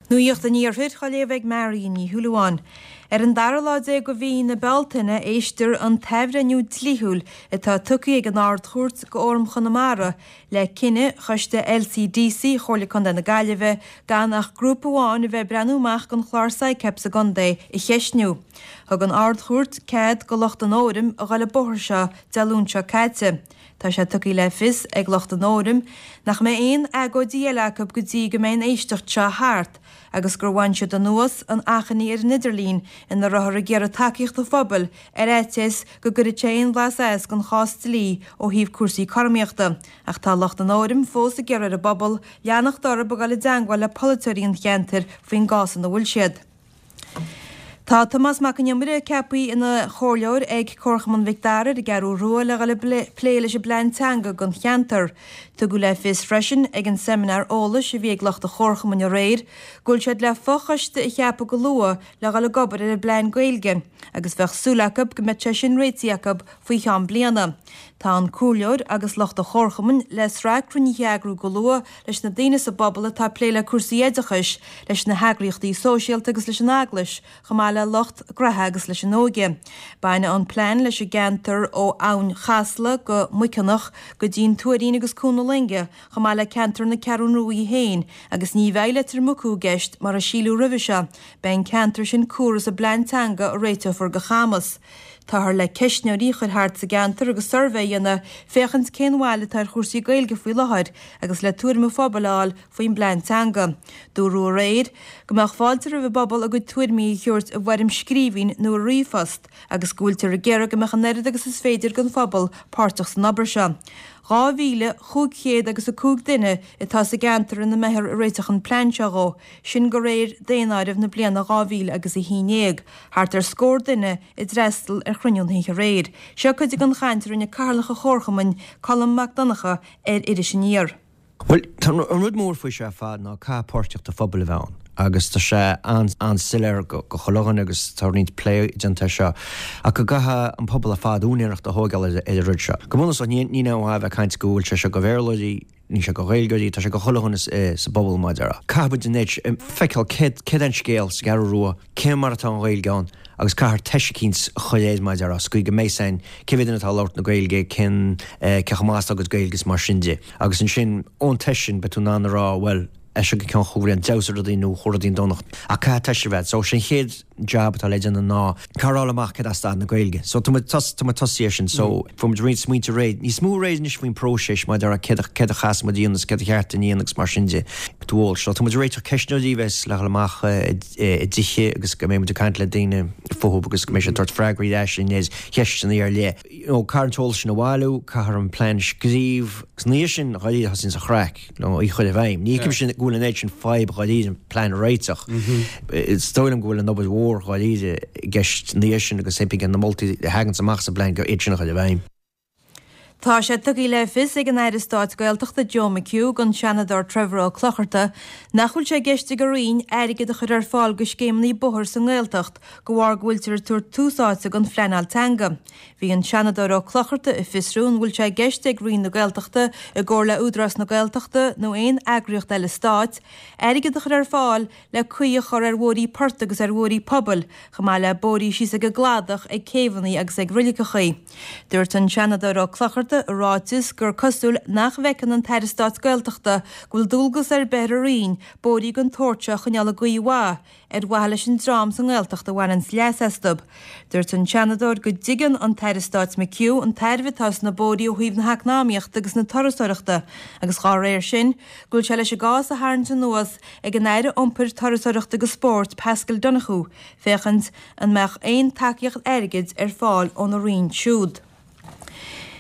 Nuacht an Iarthair á léamh ag Marion Ní Shúilleabháin. Ar an dara lá déag de mhí na Bealtaine éistfear an t-athbhreithniú dlíthiúil atá tugtha ag an Ard-Chúirt go Fhóram Chonamara le cinneadh Choiste LCDC Chomhairle Contae na Gaillimhe gan ach grúpa amháin a bheith ag breathnú amach don chlár SICAP sa gcontae a cheistniú. Thug an Ard-Chúirt cead go lucht an Fhóraim a dhul an bóthar seo Dé Luain seo caite. Tá sé tugtha le fios ag lucht an Fhóraim nach mbeidh aon agóidí eile acu go dtí go mbeidh an éisteacht seo thart agus gur bhain siad anuas an achainí ar an idirlíon ina rabhthar ag iarraidh tacaíocht an phobail ar fhaitíos go gcuirfeadh sé aon bhlas as don chás dlí ó thaobh cúrsaí cothromaíochta ach tá lucht an Fhóraim fós ag iarraidh ar an bpobal leanacht orthu ag dul i dteangmháil le polaiteoirí an cheantair faoin gcás ina bhfuil siad. Tá Tomás Mac an Iomaire ceaptha ina chomhairleoir ag Comharchumann Mhic Dara ar an gCeathrú Rua le dhul ag plé leis an bplean teanga don cheantar. Tugadh le fios freisin ag an seimineár eolais a bhí ag lucht an Chomharchumainn aréir go bhfuil siad le fochoiste a cheapadh go luath le dhul ag obair ar an bplean Gaeilge agus bheadh súil acu go mbeadh sé sin réitithe acu faoi cheann bliana. Tá an comhairleoir agus lucht an Chomharchumainn le sraith cruinnithe a eagrú go luath leis na daoine sa bpobal atá ag plé le cúrsaí oideachais, leis na heagraíochtaí sóisialta agus leis an Eaglais, chomh maith le lucht gnoithe agus leis an óige. Bainfidh an plean leis an gceantar ó Abhainn Chasla go Muiceanach go dtí'n Tuairín agus Cuan na Loinge, chomh maith le ceantar na Ceathrún Rua í féin, agus ní bheidh Leitir Mucú i gceist mar a síleadh roimhe seo, beidh an ceantar sin cumhra sa bplean teanga a réiteofar do Chamus. Táthar le ceistneoirí a chur thart sa gceantar agus suirbhé a dhéanamh féachaint cén bhail atá ar chúrsaí Gaeilge faoi láthair agus le tuairim an phobail a fháil faoin bplean teanga. Dúradh aréir go mbeadh fáilte roimh an bpobal a gcuid tuairimí a thabhairt i bhfoirm scríbhinn nó i ríomhphost agus go bhfuiltear ag iarraidh go mbeadh an oiread agus is féidir den phobal páirteach san obair seo. 2,500 agus 5 duine atá sa gceantar ina mbeifear ag réiteach an plean seo dhó, sin de réir daonáireamh na bliana 2000 agus 11. Thart ar scór duine a d'fhreastal ar chruinniú na hoíche aréir. Seo cuid den chaint a rinne Cathaoirleach an Chomharchumainn, Colm Mac Donncha, ar Iris Aniar. Bhuel, tá an rud mór faoi seo ar fad ná caithfidh páirtíocht an phobail a bheith ann agus tá sé an-soiléir go chuile dhuine agus tá roinnt plé déanta air seo ach go gcaithfidh an pobal ar fad úinéireacht a thógáil ar an rud seo. Go bunúsach, níl aon mhaith a bheith ag caint go bhfuil sé seo go Bhéarlóirí, Níl sé go Ghaeilgeoirí, tá sé go chuile dhuine sa bpobal mar a déarfá. Caithfidh muid anois feiceáil céard é an scéal sa gCeathrú Rua, cé mar atá an Ghaeilge ann agus caithfear teist eicínt a chur air mar a déarfá, sa gcaoi go mbeidh a fhios againn cé mhéad duine atá ag labhairt na Gaeilge, cén, cé chomh maith is atá a gcuid Gaeilge is mar sin de. Agus ansin ón teist sin beidh tú in ann a rá bhuel, as seo go ceann chúig bhliain d'fheabhsaigh rudaí nó chuaigh rudaí i ndonacht. Ach caithfidh teist a bheith. So sé an chéad jab atá le déanamh ná caithfear a fháil amach céard é staid na Gaeilge. So tá muid tá muid tosaithe ar sin. So fuair muid roinnt smaointe réidh, níos mó réidh anois faoin próiseas maidir le céard a céard a chaithfeas muid a dhéanamh is céard a cheart a dhéanamh agus mar sin de. D'eolas. So tá muid ag réiteach ceistneoirí a bheas le dhul amach i dtithe agus go mbeidh muid ag caint le daoine fúthu agus go mbeidh siad ag tabhairt freagraí ar ais ar cheisteanna ar leith. You know, caithfear an t-eolas sin a bhailiú, caithfear an plean a scríobh agus ina dhiaidh sin dháiríre thosaíonn an chraic. Nó í a chur i bhfeidhm. Ní fheicimse go bhfuil an oiread sin fadhb dháiríre an plean a réiteach. Is dóigh liom go bhfuil an obair mhór dháiríre i gceist ina dhiaidh sin agus impí na moltaí a thaganns amach sa bplean go iad sin a chur i bhfeidhm. Tá sé tugtha le fios ag an Aire Stáit Gaeltachta Joe McHugh don Seanadóir Trevor Ó Clochartaigh nach bhfuil sé i gceist ag a Roinn airgead a chur ar fáil do scéimeanna bóthair sa nGaeltacht de bharr go bhfuiltear ag tabhairt tús áite don phleanáil teanga. Bhí an Seanadóir Ó Clochartaigh ag fiosrú an bhfuil sé i gceist ag Roinn na Gaeltachta, i gcomhar le Údarás na Gaeltachta nó aon eagraíocht eile stáit, airgead a chur ar fáil le caoi a chur ar bhóithrí poirt agus ar bhóithrí pobail, chomh maith le bóithrí síos ag an gcladach, ag céibheanna agus ag roiliceachaí. Dúirt an Seanadóir Ó Clochartaigh i ráiteas gur cosúil nach bhfeiceann an tAire Stáit Gaeltachta go bhfuil dualgas ar bith ar a Roinn bóithrí den tsórt seo a choinneáil i gcaoi mhaith, ar mhaithe leis an dream sa nGaeltacht a bhaineanns leas astu. Dúirt an Seanadóir go dtuigeann an tAire Stáit McHugh an tairbhe atá sna bóithrí ó thaobh na heacnamaíochta agus na turasóireachta agus dhá réir sin go bhfuil sé leis an gcás a tharraingt anuas ag an Aire Iompair, Turasóireachta agus Spóirt Paschal Donohoe féachaint an mbeadh aon tacaíocht airgid ar fáil óna Roinn siúd.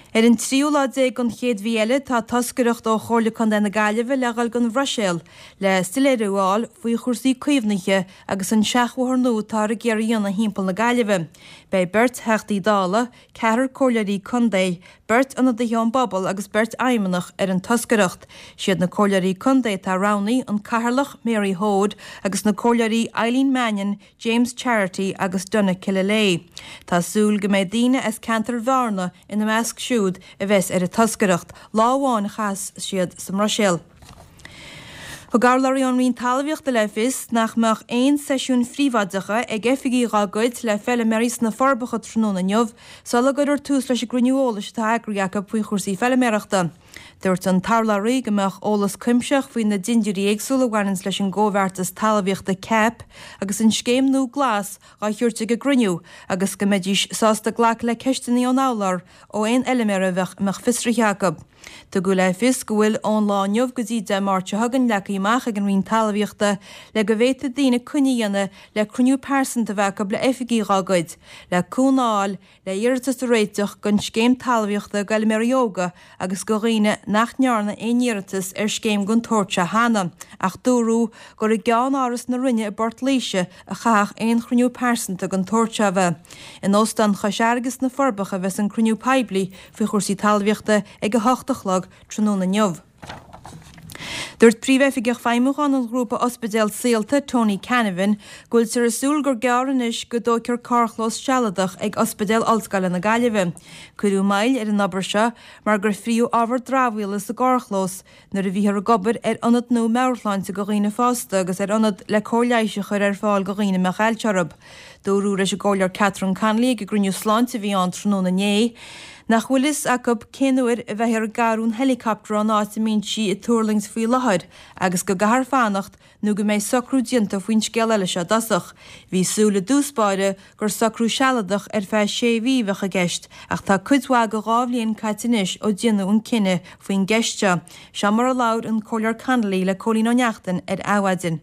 Ar an tríú lá déag den chéad mhí eile tá toscaireacht ó Chomhairle Contae na Gaillimhe le dhul don Bhruiséil le soiléiriú a fháil faoi chúrsaí caomhnaithe agus an seachbhóthar nua atáthar ag iarraidh a dhéanamh thimpeall na Gaillimhe. Beidh beirt Theachtaí Dála, ceathrar Comhairleoirí Contae, beirt ionadaithe ón bpobal agus beirt fheidhmeannach ar an toscaireacht. Siad na Comhairleoirí Contae atá roghnaithe, an Cathaoirleach, Mary Hoade, agus na Comhairleoirí Eileen Mannion, James Charity agus Donagh Killilea. Tá súil go mbeidh daoine as ceantar Bhearna ina measc siúd a bheas ar an toscaireacht. Lá amháin a chaithfeas siad sa mBruiséil. Thug urlabhraí ón Roinn Talmhaíochta le fios nach mbeadh aon seisiúin phríobháideacha ag oifigigh dá gcuid le feiliméaraí sna Forbacha tráthnóna inniu sula gcuirfear tús leis an gcruinniú eolais atá eagraithe acu faoi chúrsaí feiliméarachta. Dúirt an t-urlabhraí go mbeadh eolas cuimsitheach faoi na dindiúirí éagsúla a bhaineanns leis an gComhbheartas Talmhaíochta, CAP, agus an scéim nua Glas dhá thabhairt ag an gcruinniú agus go mbeidís sásta glacadh le ceisteanna ón urlár ó aon fheiliméara a bheadh a mbeadh fiosraithe acu. Tugadh le fios go bhfuil ón lá inniu go dtí Dé Máirt seo chugainn leagtha amach ag an Roinn Talmhaíochta le go bhféadfaidh daoine coinne a dhéanamh le cruinniú pearsanta a bheith acu le oifigigh dhá gcuid, le cúnamh a fháil le hiarratas a réiteach don scéim talmhaíochta d'fheilméaraí óga agus do dhaoine nach ndearna aon iarratas ar scéim den tsórt seo cheana, ach dúradh gur i gceann-áras na Roinne i bPort Laoise a chaithfeadh aon chruinniú pearsanta den tsórt seo a bheith. In Óstán Chois Fharraige sna Forbacha a bheas an cruinniú poiblí faoi chúrsaí talmhaíochta ag 8 a chlog tráthnóna inniu. Dúirt Príomhoifigeach Feidhmiúcháin an ghrúpa ospidéal Saolta, Tony Canavan, go bhfuiltear ag súil gur gearr anois go dtógfar carrchlós sealadach ag Ospidéal Ollscoile na Gaillimhe. Cuireadh moill ar an obair seo mar gur frítheadh ábhar dramhaíola sa gcarrchlós nuair a bhíothar ag obair ar ionad nua meabhairshláinte do dhaoine fásta agus ar ionad le cóir leighis a chur ar fáil do dhaoine a mbeadh ailse orthu. Dúradh leis an gComhairleoir Catherine Connolly ag an gcruinniú sláinte a bhí ann tráthnóna inné nach bhfuil fhios acu cén uair a bheifear ag athrú an helicopter ón áit a mbíonn sí ag tuirlingt faoi láthair agus go gcaithfear fanacht nó go mbeidh socrú déanta faoin scéal eile seo i dtosach. Bhí súil i dtús báire gur socrú sealadach ar feadh sé mhí a bheadh i gceist ach tá cuid mhaith de dhá bhliain caite anois ó déanadh an cinneadh faoin gceist seo. Seo mar a labhair an Comhairleoir Connolly le Cóilín Ó Neachtain ar Adhmhaidin.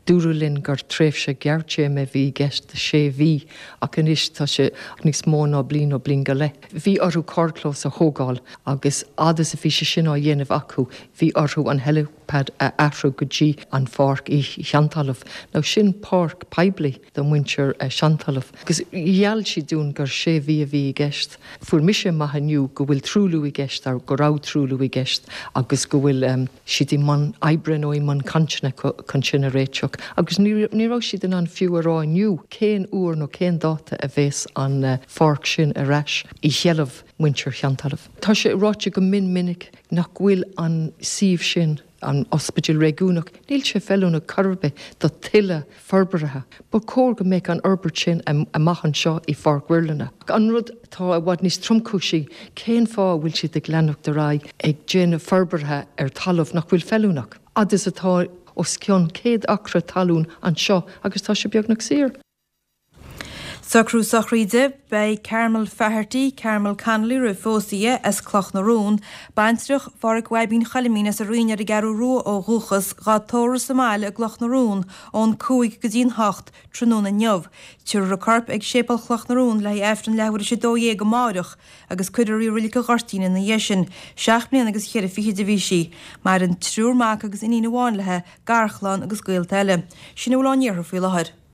Dúradh linn gur tréimhse ghearrtéarma a bhí i gceist de sé mhí ach anois tá sé níos mó ná bliain nó bliain go leith. Bhí orthu carrchlós a thógáil agus fhad is a bhí sé sin á dhéanamh acu bhí orthu an helipad a athrú go dtí an pháirc i Seantalamh. Now sin páirc poiblí do mhuintir Seantalamh agus gheall siad dúinn gur sé mhí a bhí i gceist. Fuair mise amach inniu go bhfuil truailliú i gceist, go raibh truailliú i gceist agus go bhfuil. siad i mbun oibre nó i mbun cainteanna chun sin a réiteach agus ní raibh siad in ann fiú a rá inniu cén uair nó cén dáta a bheas an pháirc sin ar ais i sheilbh muintir Sheantalamh. Tá sé ráite go mion minic nach bhfuil an suíomh sin, an Ospidéal Réigiúnach, níl sé feiliúnach chor ar bith do tuilleadh forbartha. Ba chóir go mbeadh an fhorbairt sin amach anseo i Pháirc Mhuirlinne. An rud atá i bhfad níos tromchúisí, cén fáth a bhfuil siad ag leanacht ar aghaidh ag déanamh forbartha ar talamh nach bhfuil feiliúnach, fhad is atá os cionn 100 acra talún anseo agus tá sé beagnach saor? Socrú sochraide, Beidh Carmel Faherty, Carmel Connolly roimh phósadh di, as Cloch na Rón, baintreach Phádhraic Bhaibín Choilimín as an Rinn ar an gCeathrú Rua ó dhúchas, dhá tórramh sa mbaile i gCloch na Rón ón 5 go dtí'n 8 tráthnóna inniu. Tabharfar a corp ag Séipéal Chloch na Rón le haghaidh Aifreann leathuair théis 12 amáireach agus cuirfear í i Reilig an Ghoirtín ina dhiaidh sin. Seacht mbliana agus cheithre fichid a bhí sí. Maireann triúr mac agus iníon amháin léi, garchlann agus gaolta eile. Sin a bhfuil ón iarthar faoi láthair.